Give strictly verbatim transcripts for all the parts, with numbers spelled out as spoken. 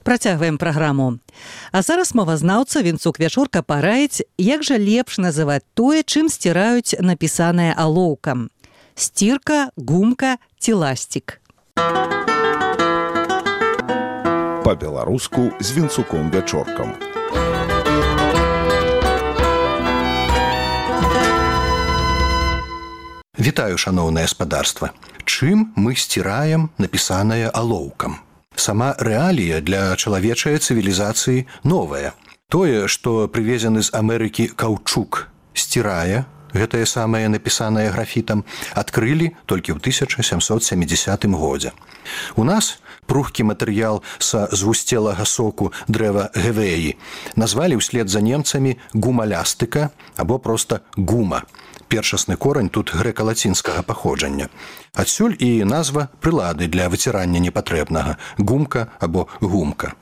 Працягваем праграму. А зараз мовазнаўца Вінцук Вячорка параіць, як жа лепш называць тое, чым сціраюць напісанае алоўкам. Сцірка, гумка ці ласцік. Па-беларуску з Вінцуком Вячоркам. Вітаю, шаноўнае спадарства. Чым мы сціраем напісанае алоўкам? Сама рэалія для чалавечай цывілізацыі новая. Тое, што прывезены з Амерыкі каўчук сцірае, гэтае самае напісанае графітам, адкрылі толькі ў тысяча сямсот сямідзясятым годзе. У нас пругкі матэрыял са звусцелага соку дрэва гевеі назвалі ўслед за немцамі гумалястыка або проста гума. Першасны корань тут грэка-лацінскага паходжання. Адсюль і назва прылады для выцірання непатрэбнага – гумка або гумка.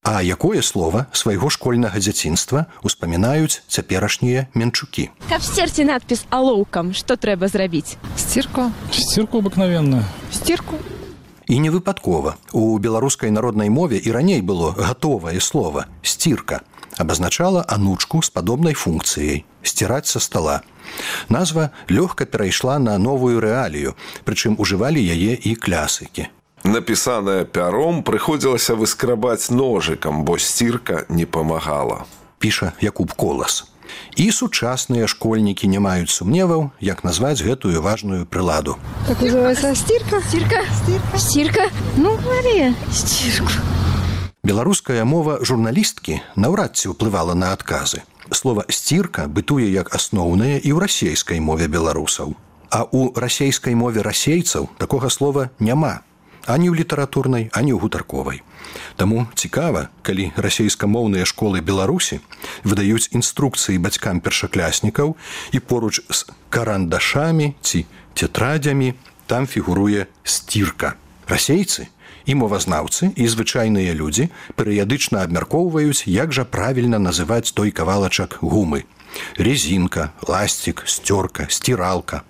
А якое слова свайго школьнага дзяцінства успамінаюць цяперашнія менчукі? Каб сцерці надпіс алоўкам, што трэба зрабіць? Стирку. Стирку обыкновенную. Стирку. І не выпадкова. У беларускай народнай мове і раней было гатовае слова – сцірка. Абазначала анучку з падобнай функцыяй – сціраць са стала. Назва лёгка перайшла на новую рэалію, прычым ужывалі яе і клясыкі. Напісанае пяром прыходзілася выскрабаць ножыкам, бо сцірка не памагала. Піша Якуб Колас. І сучасныя школьнікі не маюць сумневаў, як назваць гэтую важную прыладу. Как называется? Стирка? Стирка? Стирка? Стирка? Ну, говори. Стирку. Беларуская мова журналісткі наўрад ці ўплывала на адказы. Слова «сцірка» бытуе як асноўнае і ў расейскай мове беларусаў. А ў расейскай мове расейцаў такога слова няма. Ані ў літаратурнай, ані ў гутарковай. Таму цікава, калі расейскамоўныя школы Беларусі выдаюць інструкцыі бацькам першакляснікаў і поруч з карандашамі ці тетрадзямі там фігуруе «сцірка». Расейцы і мовазнаўцы, і звычайныя людзі перыядычна абмяркоўваюць, як жа правільна называць той кавалачак гумы. Резінка, ласцік, сцёрка, сціралка.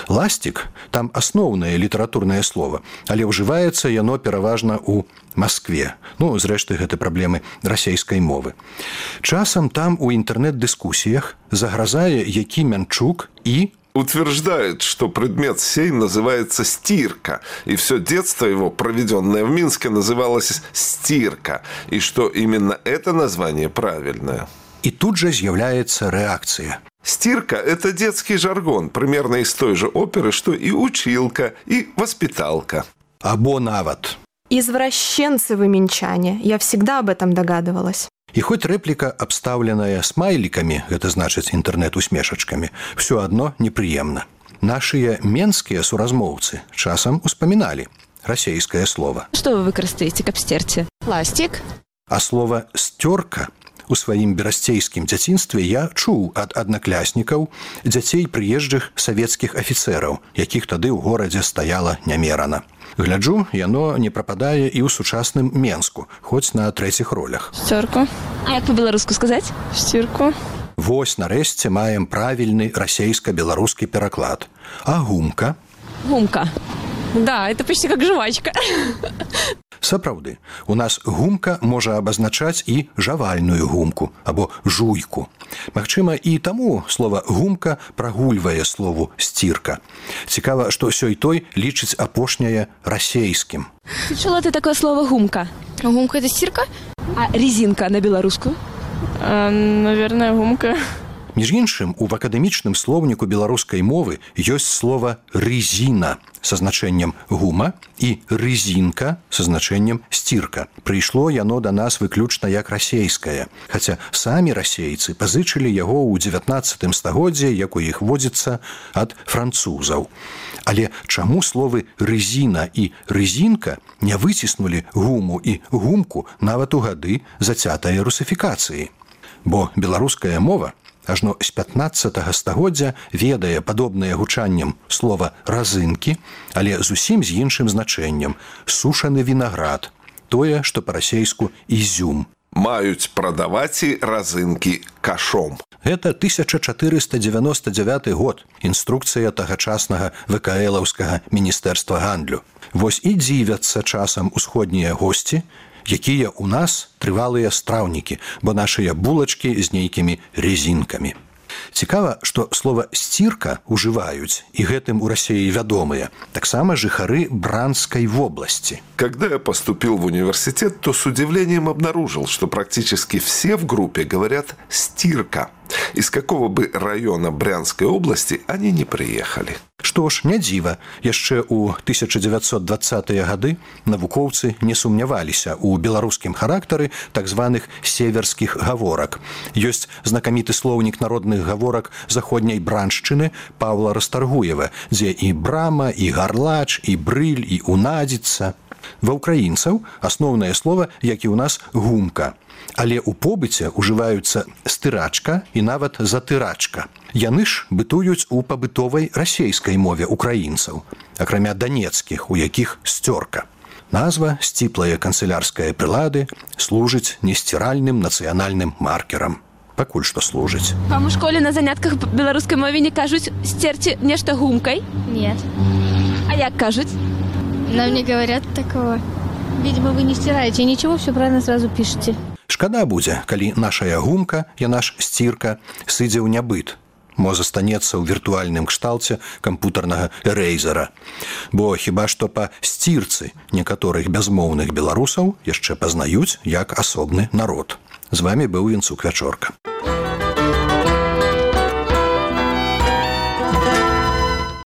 Ласцік – там асноўнае літаратурнае слова, але ўжываецца яно пераважна ў Маскве. Ну, зрэшты, гэта праблемы расейскай мовы. Часам там у інтэрнэт-дыскусіях загразае які мянчук і утверждает, что предмет сей называется стирка, и все детство его, проведенное в Минске, называлось стирка, и что именно это название правильное. И тут же з'является реакция. Стирка – это детский жаргон, примерно из той же оперы, что и училка, и воспиталка. Або нават. Извращенцы вы минчане. Я всегда об этом догадывалась. І хоць рэпліка, абстаўленая смайлікамі, гэта значыць інтэрнэт-усмешачкамі, все адно непрыемна. Нашыя менскія суразмоўцы часам успаміналі расейскае слова. Што вы выкарыстаеце, каб сцерці? Ластик. А слова «сцёрка» у сваім берасцейскім дзяцінстве я чуў ад аднакляснікаў дзяцей прыезджых савецкіх афіцэраў, якіх тады ў горадзе стаяла нямерана. Гляджу, яно не прападае і ў сучасным Менску, хоць на трэціх ролях. Сцёрку. А як по-беларуску сказаць? Стирку. Вось, нарэшце, маем правільны расейска-беларускі пераклад. А гумка? Гумка. Да, это почти как жвачка. Сапраўды, у нас гумка можа абазначаць і жавальную гумку або жуйку. Магчыма, і таму слова «гумка» прагульвае слову «сцірка». Цікава, што сёй-той лічыць апошняе расейскім. Чула ты такое слово «гумка»? Гумка – это стирка? А резинка на беларуску? А, наверное, гумка. Між іншым, у акадэмічным слоўніку беларускай мовы ёсць слова «рызіна» са значэннем «гума» і «рызінка» са значэннем «сцірка». Прыйшло яно да нас выключна як расейскае, хаця самі расейцы пазычылі яго ў дзевятнаццатым стагоддзі, як у іх водзіцца, ад французаў. Але чаму словы «рызіна» і «рызінка» не выціснулі гуму і гумку нават у гады зацятае русифікацыі? Бо беларуская мова ажно з пятнаццатага стагоддзя ведае падобнае гучаннем слова «разынкі», але зусім з іншым значэннем – сушаны вінаград, тое, што па-расейску «ізюм». маюць прадаваць і разынкі кашом. Гэта тысяча чатырыста дзевяносто дзевяты год, інструкцыя тагачаснага вэ ка элаўскага міністэрства гандлю. Вось і дзівяцца часам усходнія госці, якія ў нас трывалыя страўнікі, бо нашыя булачкі з нейкімі резінкамі. Цікава, што слова «сцірка» ужываюць, і гэтым у России вядомыя, таксама жыхары Бранской вобласці. Когда я поступил в университет, то с удивлением обнаружил, что практически все в группе говорят «стирка». Из какого бы района Брянской области они не приехали. Што ж, не дзіва, яшчэ ў тысяча дзевяцьсот дваццатыя гады навукоўцы не сумняваліся ў беларускім характары так званых северскіх гаворак. Ёсць знакаміты слоўнік народных гаворак заходняй браншчыны Паўла Растаргуева, дзе і брама, і гарлач, і брыль, і унадзіцца. Ва ўкраінцаў асноўнае слова, як і ў нас, гумка. Але ў побыце ўжываюцца стырачка і нават затырачка. Яны ж бытуюць у пабытовай расейскай мове украінцаў, акрамя данецкіх, у якіх сцёрка. Назва сціплае канцылярскае прылады служыць несціральным нацыянальным маркерам. Пакуль што служыць. Вам у школе на занятках беларускай мове не кажуць «сцерці нешта гумкай»? Нет. А як кажуць? Нам не говорят такого. Видимо, вы не стираете ничего, все правильно сразу пишете. Шкада будзе, калі нашая гумка, яна ж сцірка, сыдзе ў нябыт. Мо застанецца ў віртуальным кшталце кампутарнага эрэйзера. Бо хіба што па сцірцы некаторых бязмоўных беларусаў яшчэ пазнаюць як асобны народ. З вами быў Вінцук Вячорка.